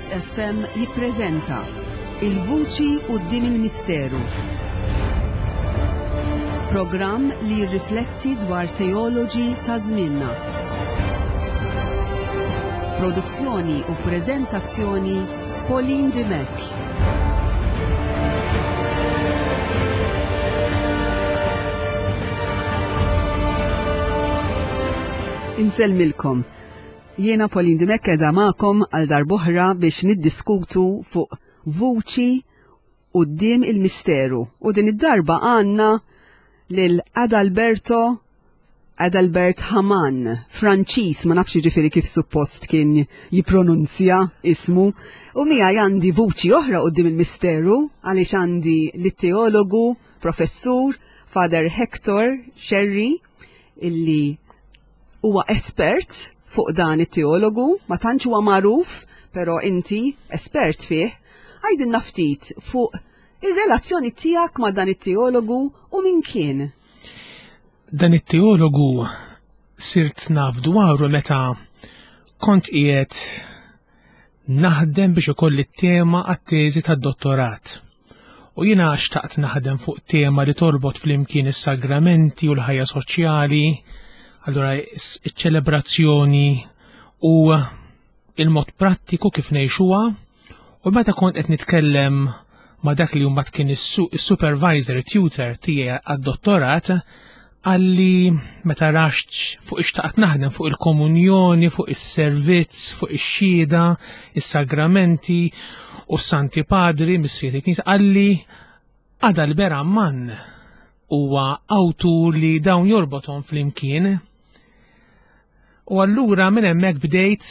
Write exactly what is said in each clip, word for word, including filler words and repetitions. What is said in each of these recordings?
Onlus F M jippreżenta Il-Vuċi Quddiem il-Misteru. Programm li jirrifletti dwar teoloġi ta' żmienna. Produzzjoni u preżentazzjoni, Pauline Dimech. Insellmilkom. Jiena Pauline Dimech, qiegħda magħkom għal darb'oħra biex niddiskutu fuq Vuċi Quddiem il-Misteru. U din id-darba għandna lil Adalberto Adalbert Haman, Franċis, ma nafx ġifieri kif suppost kien jipronunzja ismu. U miegħi għandi vuċi oħra quddiem il-misteru, għaliex għandi lit-teologu, professur, Father Hector Sherry, illi huwa espert fuq dan it-teologu, ma tantx huwa magħruf, però inti espert fih. Għidilna ftit fuq ir-relazzjoni tiegħek ma' dan it-teologu u min kien. Dan it-teologu sirt naf dwaru meta kont qiegħed naħdem biex ikolli t-tema għat-teżi tad-dottorat. U jiena xtaqt naħdem fuq tema li torbot flimkien is-sagramenti u l-ħajja soċjali, allura iċ-ċelebrazzjoni u il-mod prattiku kif ngħixuha. U meta kont qed nitkellem ma' dak li mbagħad kien is-supervisor tutor tiegħi għad-dottorat, għalli meta raxt fuq ixtaqt naħdem fuq il-komunjoni, fuq is-servizz, fuq ix-xhieda, is-sagramenti u s-Santi Padri, missieri il-Knisja, għalli Adalbert Amman huwa awtur li dawn jorbothom flimkien. U allura minn hemmhekk bdejt,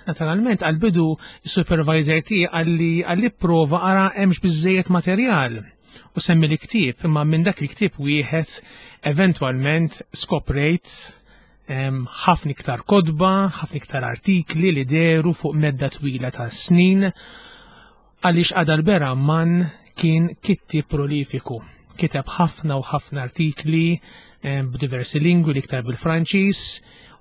naturalment, għal-bidu il-supervisor tiegħi għalli għalli prova ara hemmx biżejjed materjal u semmi l-ktieb, imma minn dak il-ktieb wieħed eventwalment skoprejt ħafna iktar kotba, ħafna iktar artikli li deru fuq medda twila ta' snin, għaliex Adalbert Amman kien kittieb prolifiku. Kiteb ħafna u ħafna artikli b'diversi lingwi, l-iktar bil-Franċiż,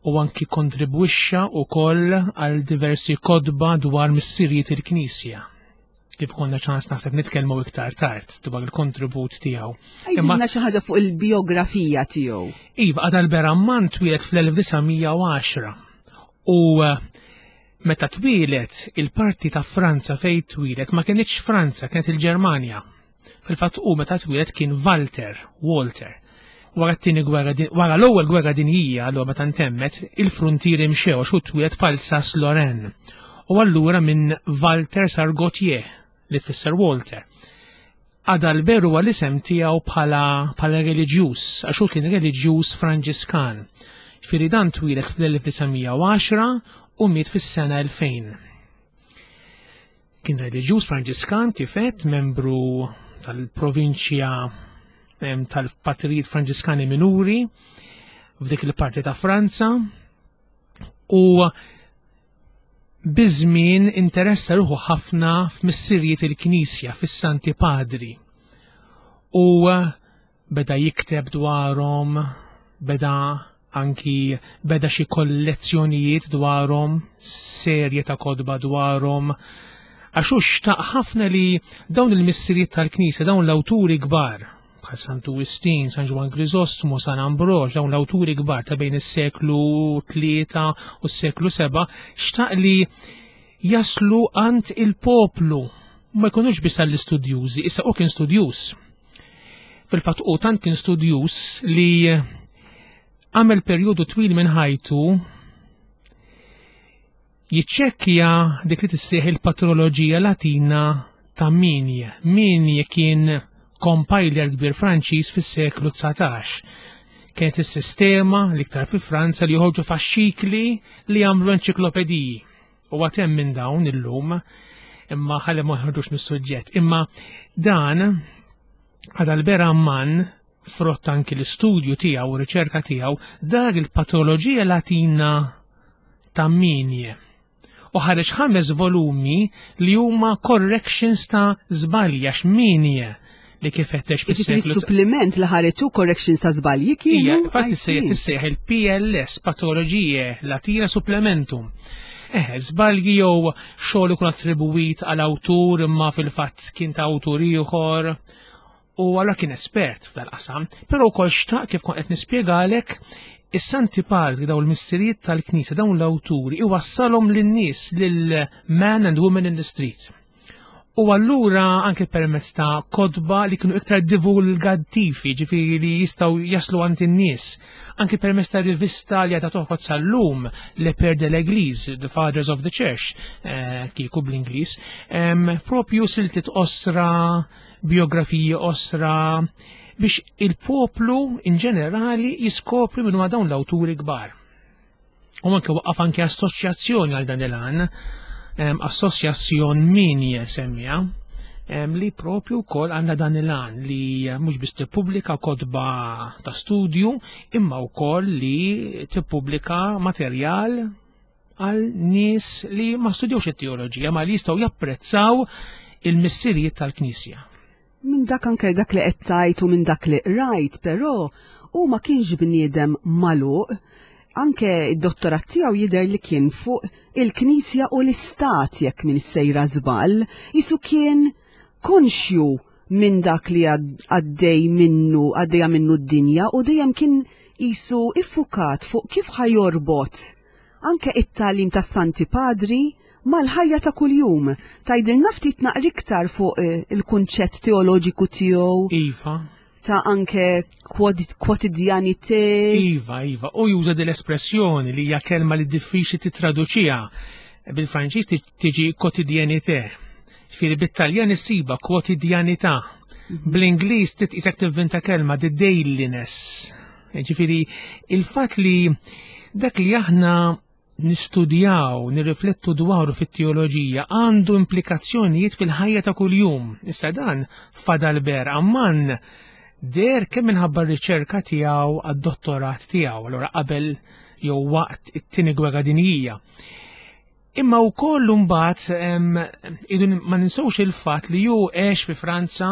u anki kontribwixxa wkoll għal diversi kotba dwar missirijiet il-Knisja. Kif konna ċans naħseb nitkellmu iktar tard dwar il-kontribut tiegħu. Għidilna xi ħaġa fuq il-biografija tiegħu. Iva, Adalbert Amman twieled fl-elf disa' mija u għaxra u eh, meta twieled, il-parti ta' Franza fej twieled ma kienx Franza, kienet il-Ġermanja. Fil-fatt u meta twieled kien Walter, Walter. Wara t-tieni gwerra, wara l-ewwel gwerra dinjija, allura meta ntemmet, il-frontieri mxew għax hu twieled f'Alsace-Lorraine. U allura minn Walter sar Gauthier, li tfisser Walter. Adalbert huwa l-isem tiegħu bħala bħala reliġjuż, għax hu kien reliġjuż Franġiskan. Ġifieri dan twieled fl-elf disa' mija u għaxra u miet fis-sena elfejn. Kien reliġjuż Franġiskan, kif għedt, membru tal-provinċja tal-Patrijiet Franġiskani Minuri f'dik il-parti ta' Franza, u biż-żmien interessa ruħu ħafna f'missirijiet il-Knisja, fis-Santi Padri. U beda jikteb dwarhom, beda anki beda xi kollezzjonijiet dwarhom, serje ta' kotba dwarhom, għax hu xtaq ħafna li dawn il-missirijiet tal-Knisja, dawn l-awturi kbar, bħal Santu Wistin, San Ġwann Griżostmu, San Ambroġ, dawn l-awturi kbar ta' bejn is-seklu tlieta u s-seklu seba', xtaq li jaslu għand il-poplu, ma jkunux biss għall-istudjużi. Issa u kien studjuż. Fil-fatt u tant kien studjuż li għamel perjodu twil minn ħajtu jiċċekkja dik li tissejjaħ il-patroloġija Latina ta' Migne. Migne kien compiler kbir Franċiż fis-seklu dsatax. Kienet is-sistema l-iktar fi Franza li joħorġu faxxikli li jagħmlu enċiklopediji. U għad hemm minn dawn illum, imma ħalli ma ħarġux mis-suġġett. Imma dan Adalbert Amman, frott anki l-istudju tiegħu u riċerka tiegħu, dar il-patroloġija Latina ta' Migne. U ħareġ ħames volumi li huma corrections ta' żbalji, għax Migne li kif għedt fis-seklu. Supplement li ħareġ corrections ta' żbalji kienu. Ija, fatt issejjaħ tissejjaħ il-P L S, Patroloġije Latina Supplementum. Eh, żbalji jew xogħol ikun attribwit għal awtur imma fil-fatt kien ta' awtur ieħor. U allura kien espert f'dal-qasam, però wkoll xtaq, kif kont qed nispjegalek, is-Santi Padri, daw il-missirijiet tal-Knisja, dawn l-awturi, iwassalhom lin-nies, lil man and women in the street. U allura anke permezz ta' kotba li kienu iktar divulgattivi, ġifieri li jistgħu jaslu għand in-nies. Anke permezz ta' rivista li għadha toħroġ sal-lum, Les Pères de l'Église, The Fathers of the Church, eh, kieku bl-Ingliż, propju siltiet qosra, biografiji qosra, biex il-poplu in ġenerali jiskopri minn dawn l-awturi kbar. U anke waqqaf anke assoċjazzjoni għal dan il-għan, assoċjazzjon min jesemmija, li propju wkoll għandha dan il-għan li mhux biss tippubblika kotba ta' studju imma wkoll li tippubblika materjal għal nies li ma studjawx it-teoloġija ma li jistgħu japprezzaw il-missirijiet tal-Knisja. Minn dak anke dak li qed tgħid u minn dak li rajt, però hu ma kienx bniedem magħluq. Anke id-dottorat tiegħu jidher li kien fuq il-Knisja u l-Istat, jekk minn sejra żball, jisu kien konxju minn dak li għaddej minnu, għaddejja minnu d-dinja, u dejjem kien jisu iffukat fuq kif ħa jorbot anke it-tagħlim tas-Santi Padri mal-ħajja ta' kuljum. Tgħidilna ftit naqra iktar fuq eh, il-kunċett teoloġiku tiegħu? Iva. Ta' anke quotidianité. Iva, iva. U juża dell-espressjoni li hija kelma li diffiċli titraduċiha. Bil-Franċiż tiġi quotidianité. Ġifieri bit-Taljan issiba quotidianità. Mhm. Bl-Ingliż titqisek tivvinta kelma, the dailiness. Ġifieri il-fatt li dak li aħna nistudjaw, nirriflettu dwaru fit-teoloġija għandu implikazzjonijiet fil-ħajja ta' kuljum. Issa dan Fadalbert Ammann deher kemm minħabba r-riċerka tiegħu għad-dottorat tiegħu, allura qabel jew waqt it-tieni gwerra dinjija. Imma wkoll imbagħad idu ma ninsewx il-fatt li hu għex fi Franza,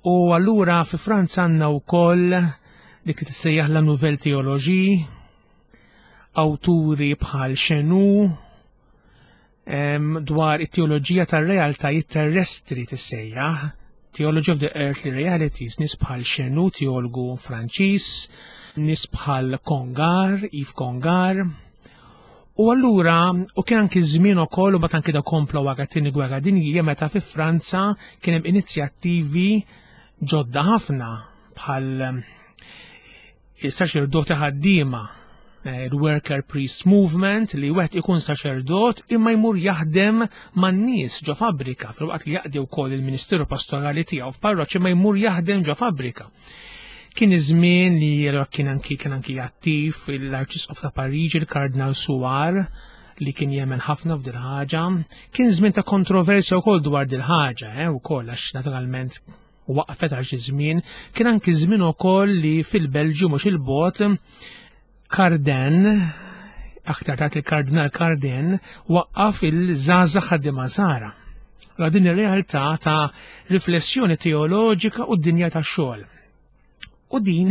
u allura fi Franza għandna wkoll dik li tissejjaħ la Nouvelle Théologie, awturi bħal Chenu, dwar it-teoloġija tar-realtajiet terrestri tissejjaħ, Theology of the Earthly Realities, nies bħal Chenu, teologu Franċiż, nies bħal Congar, Yves Congar. U allura, u kien anki żmien ukoll, u mbagħad anki da kompla wara t-tieni gwerra dinjija, meta fi Franza kien hemm inizjattivi ġodda ħafna bħal il-saċerdoti ħaddiema, eh, il-Worker Priest Movement, li wieħed ikun saċerdot imma jmur jaħdem man-nies ġo fabbrika, filwaqt li jaqdi wkoll il-Ministeru Pastorali tiegħu f'parroċċ, imma jmur jaħdem ġo fabbrika. Kien iż-żmien li allura kien anki kien anki attiv l-Arċisqof ta' Pariġi, il-Kardinal Suhard, li kien jemmen ħafna f'dil ħaġa. Kien żmien ta' kontroversja wkoll dwar dil ħaġa, eh, wkoll għax naturalment waqfet għal xi żmien. Kien anki żmien ukoll li fil-Belġju mhux il-bot Cardijn, aktar tard il-Kardinal Cardijn, waqqaf il-żgħażagħ ħaddiema Nsara. Allora din ir-realtà ta' riflessjoni teoloġika u d-dinja tax-xogħol. U din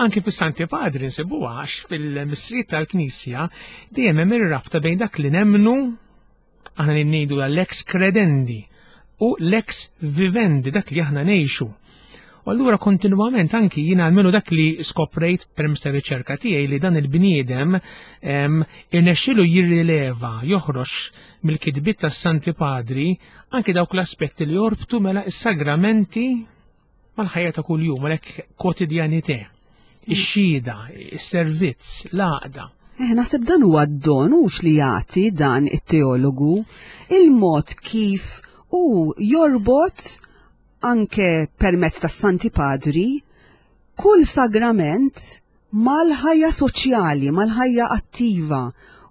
anke fis-Santi Padri nsibuha, għax fil-missirijiet tal-Knisja dejjem hemm ir-rabta bejn dak li nemmnu aħna li ngħidu l-lex credendi u lex vivendi, dak li aħna ngħixu. U allura kontinwament anki jiena almenu dak li skoprejt permezz ta' riċerka tiegħi li dan il-bniedem irnexxielu jirrileva, joħroġ mill-kitbiet tas-Santi Padri anki dawk l-aspetti li jorbtu mela is-sagramenti mal-ħajja ta' kuljum, għalhekk quotidianité, ix-xhieda, is-servizz, l-għaqda. Eh, naħseb dan huwa d-don hux li jagħti dan it-teologu, il-mod kif hu jorbot anke permezz tas-Santi Padri kull sagrament mal-ħajja soċjali, mal-ħajja attiva,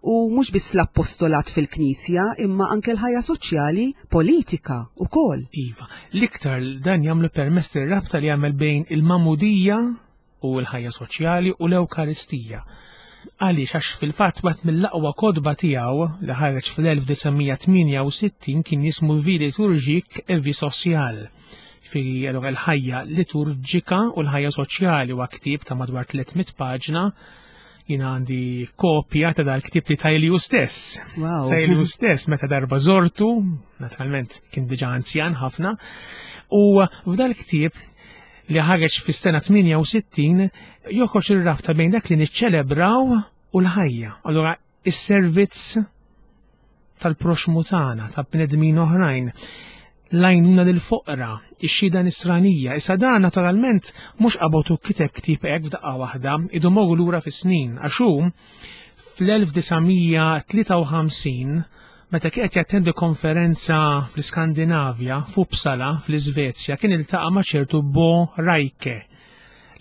u mhux biss l-appostolat fil-Knisja, imma anke l-ħajja soċjali, politika wkoll. Iva, l-iktar dan jagħmlu permezz ir-rabta li jagħmel bejn il-Magħmudija u l-ħajja soċjali u l-Ewkaristija. Għaliex? Għax fil-fatt wieħed mill-aqwa kotba tiegħu li ħareġ fl-elf disa' mija tmienja u sittin kien jismu Vie liturgique et vie sociale. Fi allura l-ħajja liturġika u l-ħajja soċjali, huwa ktieb ta' madwar tliet mitt paġna Jiena għandi kopja ta' dal-ktieb li tali hu stess. Wow. Tali hu stess meta darba żortu, naturalment kien diġà anzjan ħafna, u f'dal-ktieb li ħareġ fis-sena tmienja u sittin joħroġ ir-rabta bejn dak li niċċelebraw u l-ħajja. Allura is-servizz tal-proxmu tagħna, ta' bnedmin oħrajn, l-għajnuna lill-foqra, ix-xhieda nisranija. Issa dan naturalment mhux qabad u kiteb ktieb hekk f'daqqa waħda, idu morru lura fis-snin, għax hu fl-elf disa' mija tlieta u ħamsin, meta kien qed jattendi konferenza fl-Iskandinavja, f'Uppsala, fl-Iżvezja, kien iltaqa' ma' ċertu Bo Reike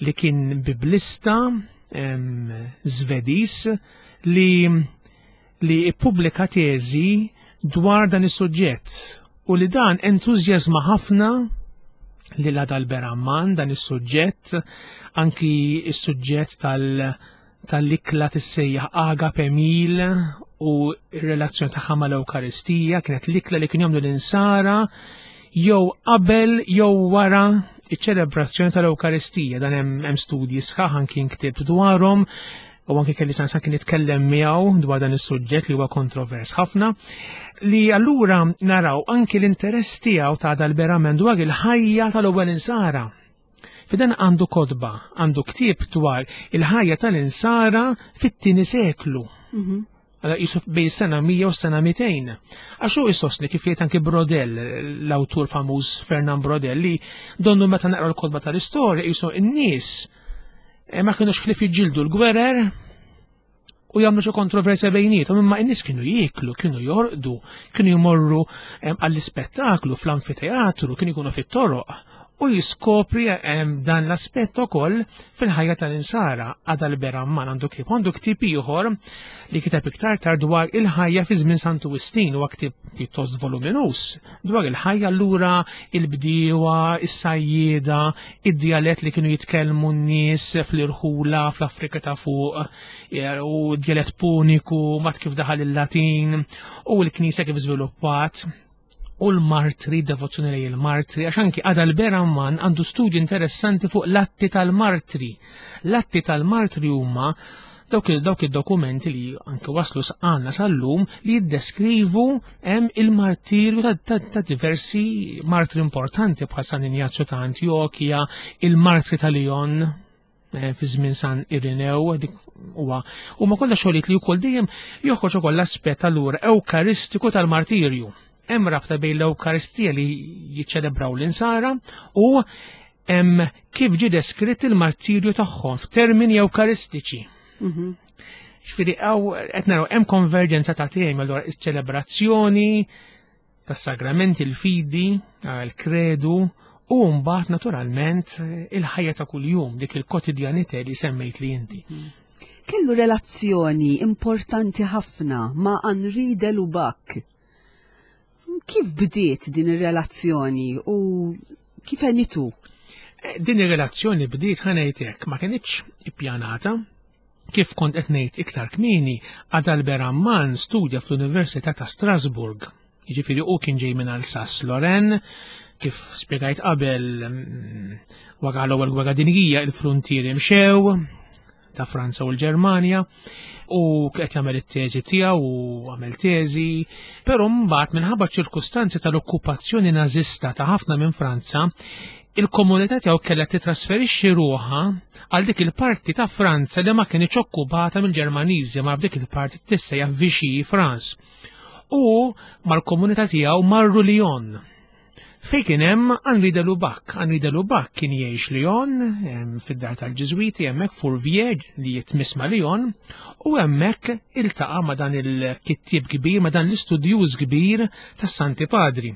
li kien biblista Żvediż li li ippubblika teżi dwar dan is-suġġett u li dan entużjażma ħafna lil Adalbert Ammann dan is-suġġett, anki is-suġġett tal- tal-ikla tissejjaħ agape meal u r-relazzjoni tagħha mal-Ewkaristija. Kienet l-ikla li kien jagħmlu l-insara jew qabel jew wara iċ-ċelebrazzjoni tal-Ewkaristija. Dan hemm studji sħaħ, anki nktibt dwarhom u anki kelli ċans anki nitkellem miegħu dwar dan is-suġġett li huwa kontrovers ħafna, li allura naraw anki l-interess tiegħu ta' Adalbert Ammann dwar il-ħajja tal-ewwel insara. Fidan għandu kotba, għandu ktieb dwar il-ħajja tal-insara fit-tieni seklu. Mhm. Għala jisu bejn sena mija u sena mitejn. Għax hu jsostni, kif jgħid anki Braudel, l-awtur famuż Fernand Braudel, li donnu meta naqra l-kotba tal-istorja jisu n-nies eh, ma kienux ħlief jiġġieldu l-gwerer u jagħmlu xi kontroversja bejniethom, imma n-nies kienu jieklu, kienu jorqdu, kienu jmorru għall-ispettaklu fl-amfiteatru, kienu jkunu fit-toroq, u jiskopri dan l-aspett ukoll fil-ħajja tal-insara. Adalbert Ammann għandu ktieb, għandu ktieb ieħor li kiteb iktar tard dwar il-ħajja fi żmien Santu Wistin, huwa ktieb pjuttost voluminus dwar il-ħajja allura, il-bdiewa, is-sajjieda, id-djalett li kienu jitkellmu n-nies fl-irħula fl-Afrika ta' fuq u djalett puniku, mat kif daħal il-Latin u l-Knisja kif żviluppat u l-martri, devozzjoni lejn il-martri, għax anki Adalbert Ammann għandu studji interessanti fuq l-atti tal-martri. L-atti tal-martri huma dawk dawk id-dokumenti li anke waslu għandna sal-lum li jiddeskrivu hemm il-martirju ta', ta, ta diversi martri importanti bħal San Injazju ta' Antjokja, il-martri ta' Lyon eh, fi żmien San Irinew, dik huwa huma kollha xogħlijiet li wkoll dejjem joħroġ ukoll l-aspett allura ewkaristiku tal-martirju. Hemm rabta bejn l-Ewkaristija li jiċċelebraw l-insara u hemm kif ġie deskritt il-martirju tagħhom f'termini ewkaristiċi. Mhm. Ġifieri hawn qed naraw hemm konverġenza ta' temi, allura iċ-ċelebrazzjoni tas-sagramenti, il-fidi, il-kredu u mbagħad naturalment il-ħajja ta' kuljum, dik il-kwotidjanità li semmejt li inti. Kellu relazzjoni importanti ħafna ma' Henri de Lubac. Kif bdiet din ir-relazzjoni u kif għenitu? Eh, Din ir-relazzjoni bdiet, ħa ngħidlek, ma kinitx ippjanata. Kif kont qed ngħid iktar kmieni, Adalbert Ammann studja fl-Università ta' Strasburg. Jiġifieri hu kien ġej minn Alsace-Lorraine, kif spjegajt qabel, mm, wara l-ewwel gwerra dinjija il-frontieri mxew ta' Franza u l-Ġermanja u qed jagħmel it-teżi tiegħu u għamel teżi, però mbagħad minħabba ċirkustanzi tal-okkupazzjoni nażista ta' ħafna minn Franza, il-komunità tiegħu kellha titrasferixxi ruħha għal dik il-parti ta' Franza li ma kienx okkupata mill-Ġermaniżi, ma f'dik il-parti tissejjaħ Vichy France. U mal-komunità tiegħu marru Lyon, fejn kien hemm Henri de Lubac. Henri de Lubac kien jgħix Lyon, em, fid-dar tal-Ġiżwiti hemmhekk Fourvière li jitmiss ma' Lyon, u hemmhekk iltaqa' ma' dan il-kittieb kbir, ma' dan l-istudjuż kbir tas-Santi Padri.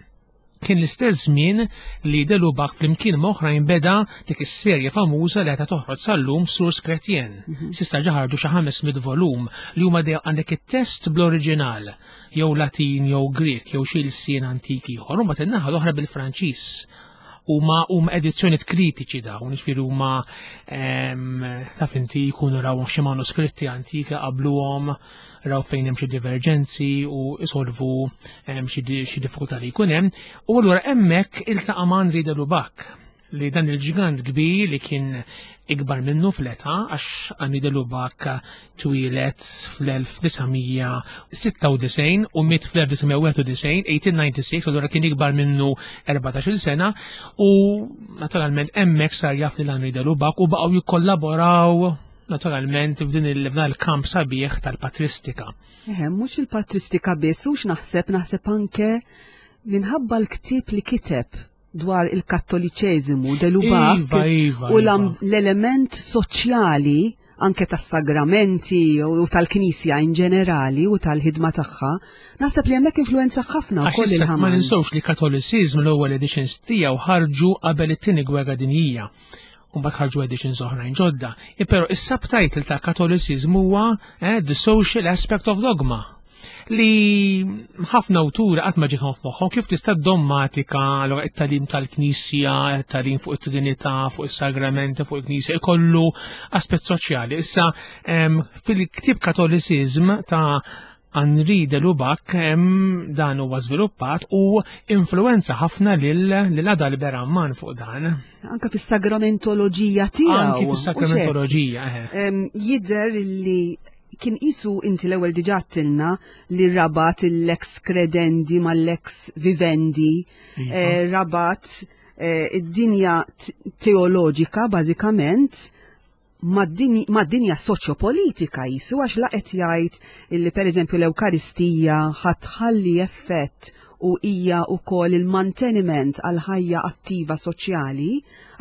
Kien l-istess żmien li de Lubac flimkien ma' oħrajn beda dik is-serje famuża li għadha toħroġ sal-lum, Sources Chrétiennes. S'issa ġa ħarġu xi ħames mitt volum li huma dejjem għandek it-test bl-oriġinal, jew Latin jew Grek jew xi lsien antiki ieħor, u mbagħad in-naħa l-oħra bil-Franċiż. Huma huma edizzjonijiet kritiċi dawn, jiġifieri huma em, taf inti jkunu raw xi manuskritti antiki qabluhom, raw fejn hemm xi diverġenzi u isolvu em, xi di- xi diffikultà li jkun hemm. U allura hemmhekk iltaqa' ma' Henri de Lubac, li dan il-ġgant kbir li kien ikbar minnu fl-età, għax Henri de Lubac twieled fl-elf disa' mija sitta u disgħin u miet fl-elf disa' mija wieħed u disgħin, eighteen ninety-six, allura kien ikbar minnu erbatax-il sena u naturalment hemmhekk sar jaf lil Henri de Lubac u baqgħu jikkollaboraw naturalment f'din il- il-kamp sabiħ tal-patristika. Eħe, mhux il-patristika biss, hux naħseb, naħseb anke minħabba l-ktieb li kiteb dwar il-kattoliċeżimu de Lubac Iva, iva, u iva. l-element soċjali anke tas-sagramenti u tal-Knisja in ġenerali u tal-ħidma tagħha, naħseb li hemmhekk influenza ħafna Għax wkoll issa ma il-Hamann. ninsewx li Catholicism, l-ewwel editions tiegħu ħarġu qabel it-Tieni Gwerra Dinjija. U mbagħad ħarġu editions oħrajn ġodda. E Però is-subtitle ta' Catholicism huwa eh, The Social Aspect of Dogma, li ħafna awturi qatt ma ġiethom f'moħħhom kif tista' dogmatika, allura it-tagħlim tal-Knisja, it-tagħlim fuq it-Trinità, fuq is-sagramenti, fuq il-Knisja, ikollu aspett soċjali. Issa em, fil-ktieb Catholicism ta' Henri de Lubac em, dan huwa żviluppat u influenza ħafna lil lil Adalbert Ammann fuq dan. Anke fis-sagramentoloġija tiegħu. Anki U xek. fis-sagramentoloġija. eh. Em, Jidher li kien isu inti l-ewwel diġà għedtilna li rabat il-lex credendi mal-lex vivendi, Iva. eh, rabat eh, id-dinja t- teoloġika bażikament mad-dinja soċjopolitika jisu, għax laqet jgħid illi pereżempju l-Ewkaristija ħa tħalli effett u hija wkoll il-manteniment għal ħajja attiva soċjali,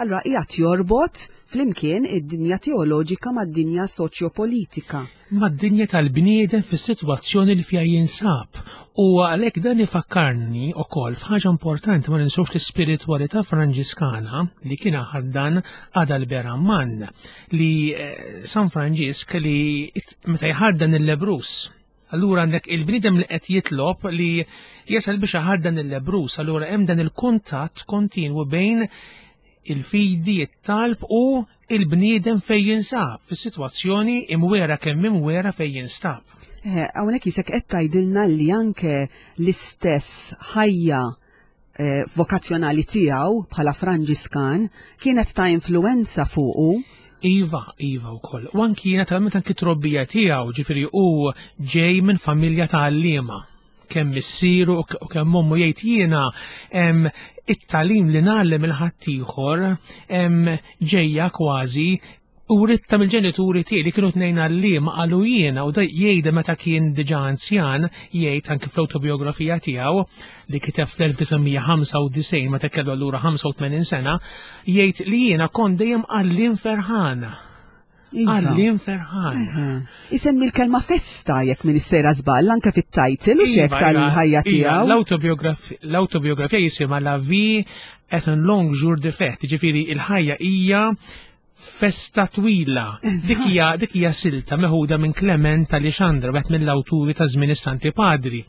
allura qiegħed jorbot flimkien id-dinja teoloġika mad-dinja soċjopolitika. Mad-dinja tal-bniedem fis-sitwazzjoni li fiha jinsab. U għalhekk dan ifakkarni wkoll f'ħaġa importanti: ma ninsewx l-ispiritwalità Franġiskana li kien ħaddan Adalbert Ammann, li eh, San Franġisk li it- meta jħaddan il-lebbruż. Allura għandek il-bniedem li qed jitlob li jasal biex iħaddan il-lebbruż, allura hemm dan il-kuntatt kontinwu bejn il-fidi, it-talb u il-bniedem fej jinsab, fis-sitwazzjoni imwera kemm imwera fej jinstab. Eh, Hawnhekk jisek qed tgħidilna li anke l-istess ħajja eh, vokazzjonali tiegħu bħala Franġiskan kienet ta' influenza fuqu. Iva, iva wkoll. U anki naturalment anki trobbija tiegħu, ġifieri hu ġej minn familja ta' għalliema. Kemm missieru u k- u kemm ommu. Jgħid, "Jiena em, it-tagħlim li ngħallem il-ħaddieħor em, ġejja kważi u ritta mill-ġenituri tiegħi li kienu tnejn għalliema," qalu jiena, u da jgħidha meta kien diġà anzjan, jgħid anki fl-autobiografija tiegħu li kiteb fl-elf disa' mija ħamsa u disgħin meta kellu allura ħamsa u tmenin sena, jgħid li jiena kont dejjem għalliem ferħan. Iva. Għalliem ferħan. Eħe. Isemmi l-kelma festa, jekk minn sejra żball, anke fit-title u xek Iva, tal-ħajja iva, tiegħu. l-autobiografi- L-autobiografija jisimha "La vie est un long jour de fête", ġifieri il-ħajja hija festa twila. Dik hija dik hija silta meħuda minn Clement Alexandra, wieħed mill-awturi ta' żmien is-Santi Padri.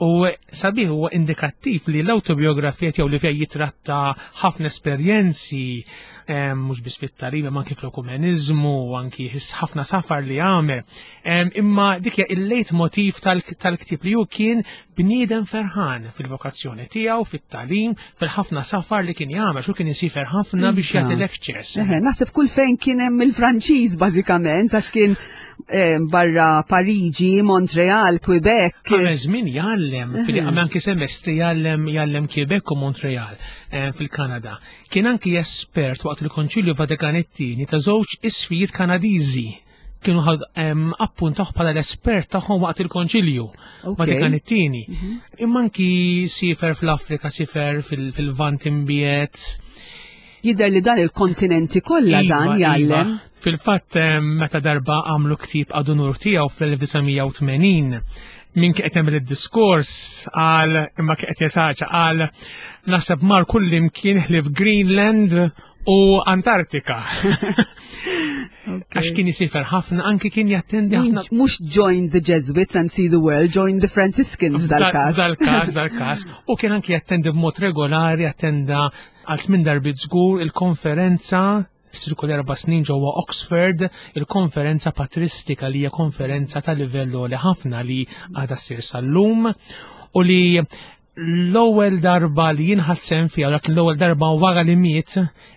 U sabiħ huwa indikattiv li l-autobiografija tiegħu li fiha jitratta ħafna esperjenzi em, mhux biss fit-tagħlim imma anki fl-ekumeniżmu u anki ħis- ħafna safar li għamel. Em, Imma dik hija il-leitmotiv tal- tal-ktieb li hu kien bniedem ferħan fil-vokazzjoni tiegħu, fit-tagħlim, fil-ħafna safar li kien jagħmel, xu kien isifer ħafna biex Iva. jagħti lectures. Eħe, naħseb kull fejn kien hemm il-Franċiż bażikament, għax kien eh, barra Pariġi, Montreal, Quebec. Għamel żmien jgħallem, fil għamel anki semestri jgħallem jgħallem Quebec u Montreal eh, fil-Kanada. Kien anki espert waqt il-Konċilju Vatikan it-Tieni ta' żewġ isqfijiet Kanadiżi. Kienu ħad em, appuntaw bħala l-espert tagħhom waqt il-Konċilju Ok. Vatikan it-Tieni. Imma anki sifer fl-Afrika, sifer fil- fil-Lvant Imbiegħed. Jidher li dan il-kontinenti kollha Iva, dan jgħallem. Iva. Fil-fatt em, meta darba għamlu ktieb ad unur tiegħu fl-elf disa' mija u tmenin, min kien qed jagħmel id-diskors qal, imma kien qed jesaġera, qal, "Naħseb mar kull imkien ħlief Greenland u Antartika." Għax kien jisifer ħafna, anki kien jattendi ħafna. Mhux "join the Jesuits and see the world", "join the Franciscans" dal-każ. Dal-każ, dal-każ. U kien anki jattendi b'mod regolari, attenda għal tmien darbiet żgur il-konferenza ssir kull erba' snin ġewwa Oxford, il-konferenza patristika, li hija konferenza ta' livell li ħafna li għadha ssir sal-lum u li L-ewwel darba li jien ħadt sehem fiha, dak l-ewwel darba wara li miet,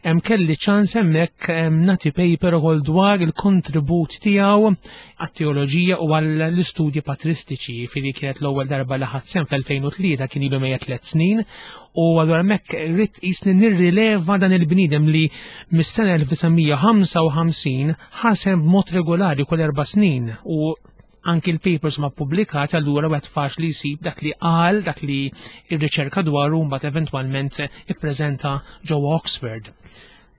hemm kelli ċans hemmhekk nagħti paper ukoll dwar il-kontribut tiegħu għat-teoloġija u għall-istudji patristiċi, fili kienet l-ewwel darba li ħadt sehem fl-elfejn u tlieta, kien ilu mejjet tliet snin, u allura hemmhekk ridt jisni nirrileva dan il-bniedem li mis-sena elf disa' mija ħamsa u ħamsin ħa sehem b'mod regolari kull erba' snin, u anki l-papers ma publikat, allura wieħed faċli jsib dak li qal, dak li ir-riċerka dwaru mbagħad eventwalment ippreżenta ġewwa Oxford.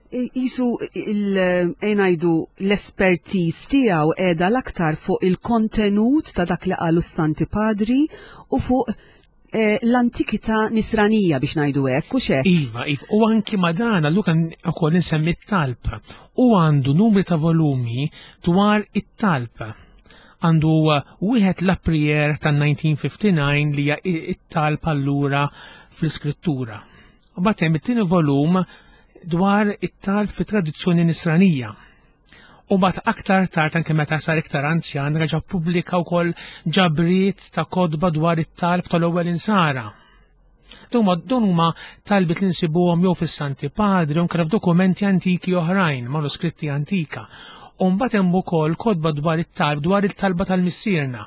Jisu il-ngħidu l-expertise tiegħu qiegħda l-aktar fuq il-kontenut ta' dak li qalu s-Santi Padri u fuq eh, l-antikità nisranija, biex ngħidu hekk, u xek. Iva, iva, u anki ma dan, allura ukoll insemmi t-talb. U għandu numri ta' volumi dwar it-talb. Għandu wieħed, La Prière ta' elf disa' mija ħamsa u ħamsin, li hija it-talb allura fl-iskrittura. U mbagħad hemm it-tieni volum dwar it-talb fi tradizzjoni nisranija. U mbagħad aktar tard, anke meta sar iktar anzjan, reġa' pubblika wkoll ġabriet ta' kotba dwar it-talb tal-ewwel insara. Dawn huma talbiet li nsibuhom jew fis-Santi Padri u f'dokumenti antiki oħrajn, manuskritti antika. U mbagħad hemm ukoll kotba dwar it-talb, dwar it-talba tal-Missierna.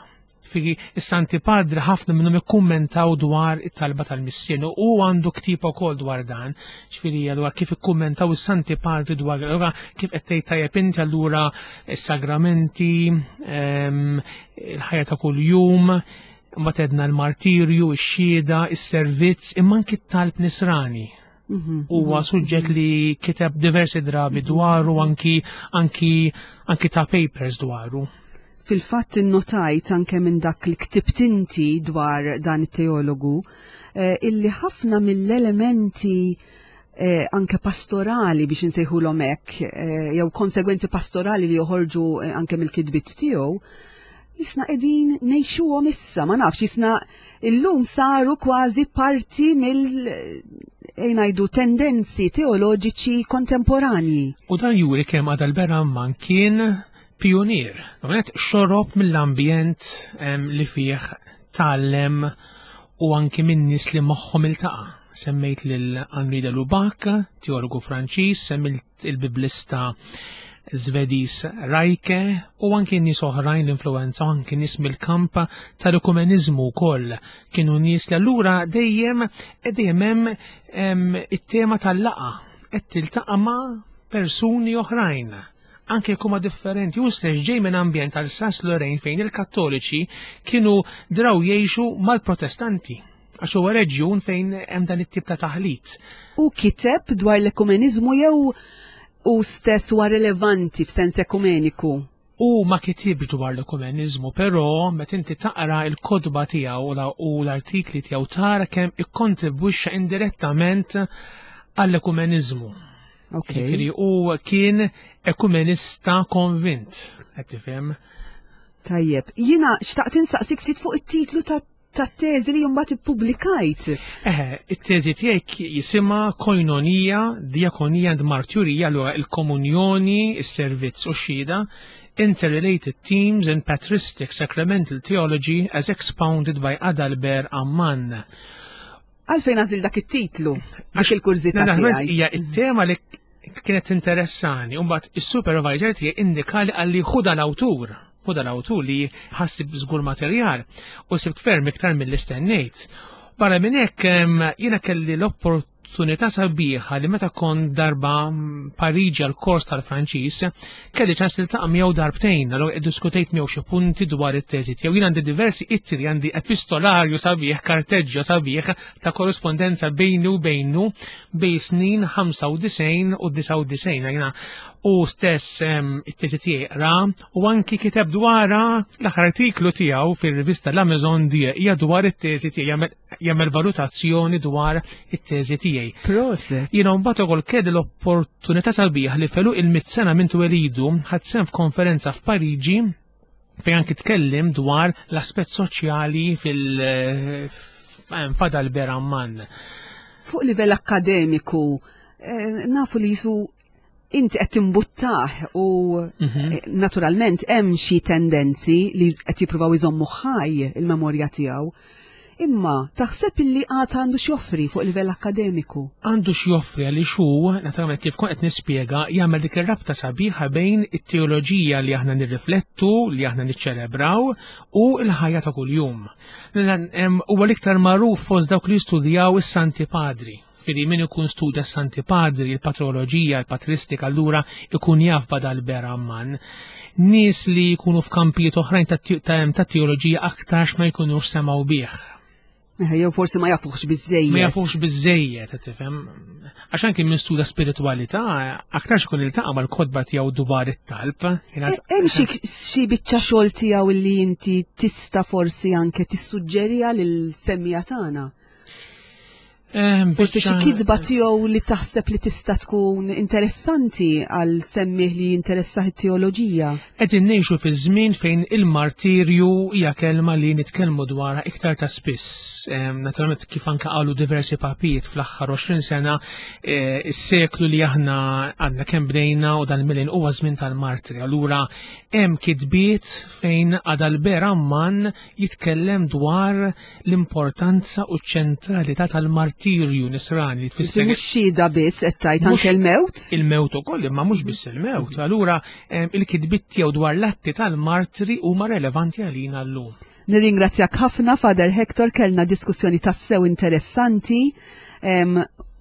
Figi is-Santi Padri ħafna minnhom ikkummentaw dwar it-talba tal-Missierna u għandu ktieb ukoll dwar dan. Ġifieri dwar kif ikkummentaw is-Santi Padri dwar, allura kif qed tgħid tajjeb inti, allura is-sagramenti, ehm, il-ħajja ta' kuljum, mbagħad għedna l-martirju, ix-xhieda, is-servizz, imma anki t-talb nisrani Mhm, huwa suġġett li kiteb diversi drabi dwaru, anki anki anki ta' papers dwaru. Fil-fatt innotajt anke minn dak li ktibt inti dwar dan it-teologu eh, illi ħafna mill-elementi eh, anke pastorali, biex insejħulhom hekk, eh, jew konsegwenzi pastorali li joħorġu eh, anke mill-kitbiet tiegħu, jisna qegħdin ngħixuhom issa, ma nafx, jisna illum saru kważi parti mill eh, ngħidu tendenzi teoloġiċi kontemporanji. U dan juri kemm Adalbert Ammann kien pionier. Għonet xorob mill-ambjent em, li fih tgħallem u anki minn nies li magħhom iltaqa'. Semmejt lil Henri de Lubac, teologu Franċiż, semmejt il-biblista Svediż Reiche u anki nies oħrajn l-influenza, u anki nies mill-kamp tal-ekumenizmu wkoll kienu nies li allura dejjem dejjem hemm em, it-tema tal-laqgħa, qed tiltaqa' ma' persuni oħrajn anke jekk huma differenti. U stess ġej minn ambjent tal-Alsace Lorraine fejn il-Kattoliċi kienu draw jgħixu mal-Protestanti, għax huwa reġjun fejn hemm dan it-tip ta' taħlit. U kiteb dwar l-ekumenizmu jew u stess huwa rilevanti f'sens ekumeniku? U ma kitibx dwar l-ekumenizmu, però meta inti taqra il-kotba tiegħu u la- u l-artikli tiegħu tara kemm ikkontribwixxa indirettament għall-ekumenizmu. Ok. Ġifieri u kien ekumenista konvint, qed tifhem? Tajjeb, jiena xtaqt insaqsik ftit fuq it-titlu ta' tat-teżi li mbagħad ippubblikajt. Eħe, it-teżi tiegħek jisimha Koinonia, Diakonia and Marturia, allura il-komunjoni, is-servizz u x-xhieda, Interrelated Themes in Patristic Sacramental Theology as Expounded by Adalbert Ammann. Għalfejn għażilt dak it-titlu? Dik il-kurżità Naturalment tiegħi. Hija it-tema li kienet interessani, u mbagħad is-supervisor tiegħi indikali għalli ħuda l-awtur, ħuda l-awtur li ħassib żgur materjal u sibt ferm iktar mill istennejt. Barra minn hekk em, jiena kelli l-opportunità sabiħa li meta kont darba mm, Pariġi għal kors tal-Franċiż, kelli ċans niltaqa' miegħu darbtejn, allura iddiskutejt miegħu xi punti dwar it-teżi tiegħu. Jien għandi diversi ittri, għandi epistolarju sabiħ, karteġġio sabiħ ta' korrespondenza bejni u bejnu bejn snin ħamsa u disgħin u disgħa u disgħin. Jiena u stess em, it-teżi tiegħi ra u anki kiteb dwarha. L-aħħar artiklu tiegħu fir-rivista La Maison Dieu hija dwar it-teżi tiegħi, jagħmel- jagħmel valutazzjoni dwar it-teżi tiegħi. Proset. Jiena mbagħad ukoll kelli l-opportunità sabiħ li felu il-mit sena minn twelidu ħadt sehem f'konferenza f'Pariġi fejn anki tkellim dwar l-aspett soċjali fil f'Adalbert Ammann. Fuq livell akkademiku, eh, nafu li jisu inti qed timbuttah u Mhm. eh, naturalment hemm xi tendenzi li qed jippruvaw iżommu ħaj il-memorja tiegħu. Imma taħseb illi għad għandu x'joffri fuq livell akkademiku? Għandu x'joffri għaliex hu, naturalment kif kont qed nispjega, jagħmel dik ir-rabta sabiħa bejn it-teoloġija li aħna nirriflettu, li aħna niċċelebraw u l-ħajja ta' kuljum. Huwa l-iktar magħruf fost dawk li jistudjaw is-Santi Padri. Fili min ikun studja s-Santi Padri, il-patroloġija, il-patristika, allura ikun jaf b'Adalbert Ammann. Nies li jkunu f'kampijiet oħrajn ta' teoloġija aktarx ma jkunux semgħu bih. Jew forsi ma jafuħx biżejjed. Ma jafuħx biżejjed, tifhem. Għax anke min studja spiritualità, aktarx ikun iltaqa' mal-kotba tiegħu dwar it-talb. Hemm xi biċċa xogħol tiegħu li inti tista' forsi anke tissuġġerija lil-semmija tagħna? Forsi xi kitba tiegħu li taħseb li tista' tkun interessanti għal semmih li jinteressah it-teoloġija. Qegħdin ngħixu fi żmien fejn il-martirju hija kelma li nitkellmu dwarha iktar ta' spiss. Naturalment kif anke qalu diversi papijiet fl-aħħar għoxrin sena, is-seklu li aħna għandna kemm bdejna u dan il-millen huwa żmien tal-martri. Allura hemm kitbiet fejn Adalbert Ammann jitkellem dwar l-importanza u ċ-ċentralità tal-martirju nisrani li tfisser. Mhux xhieda biss qed tgħid anke l-mewt? Il-mewt ukoll, imma mhux biss il-mewt. Allura il-kitbiet tiegħu dwar l-atti tal-martri huma relevanti għalina llum. Nirringrazzjak ħafna, Father Hector, kellna diskussjoni tassew interessanti.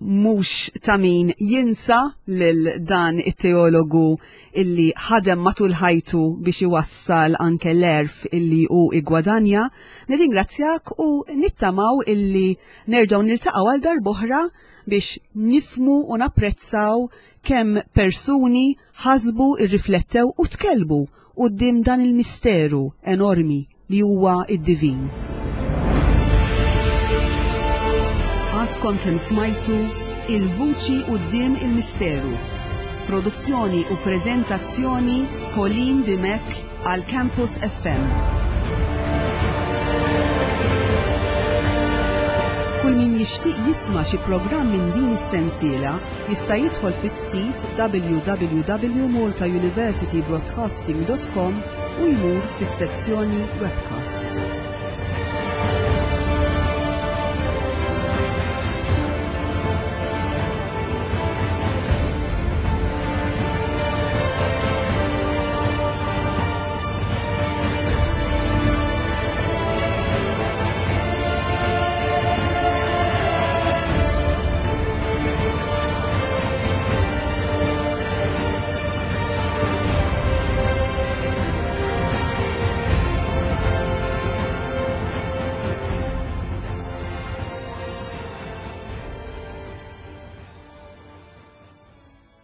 Mhux ta' min jinsa lil dan it-teologu illi ħadem matul ħajtu biex iwassal anke l-erf illi hu igwadanja. Nirringrazzjak u nittamaw illi nerġgħu niltaqgħu għal darb'oħra biex nifmu u napprezzaw kemm persuni ħasbu, irriflettew u tkellmu quddiem dan il-misteru enormi li huwa id-divin. Għadkom kemm smajtu Il-Vuċi Quddiem il-Misteru. Produzzjoni u preżentazzjoni Pauline Dimech għal Campus F M. Kull min jixtieq jisma' xi programm minn din is-sensiela jista' jidħol fis-sit w w w dot malta university broadcasting dot com u jmur fis-sezzjoni webcasts.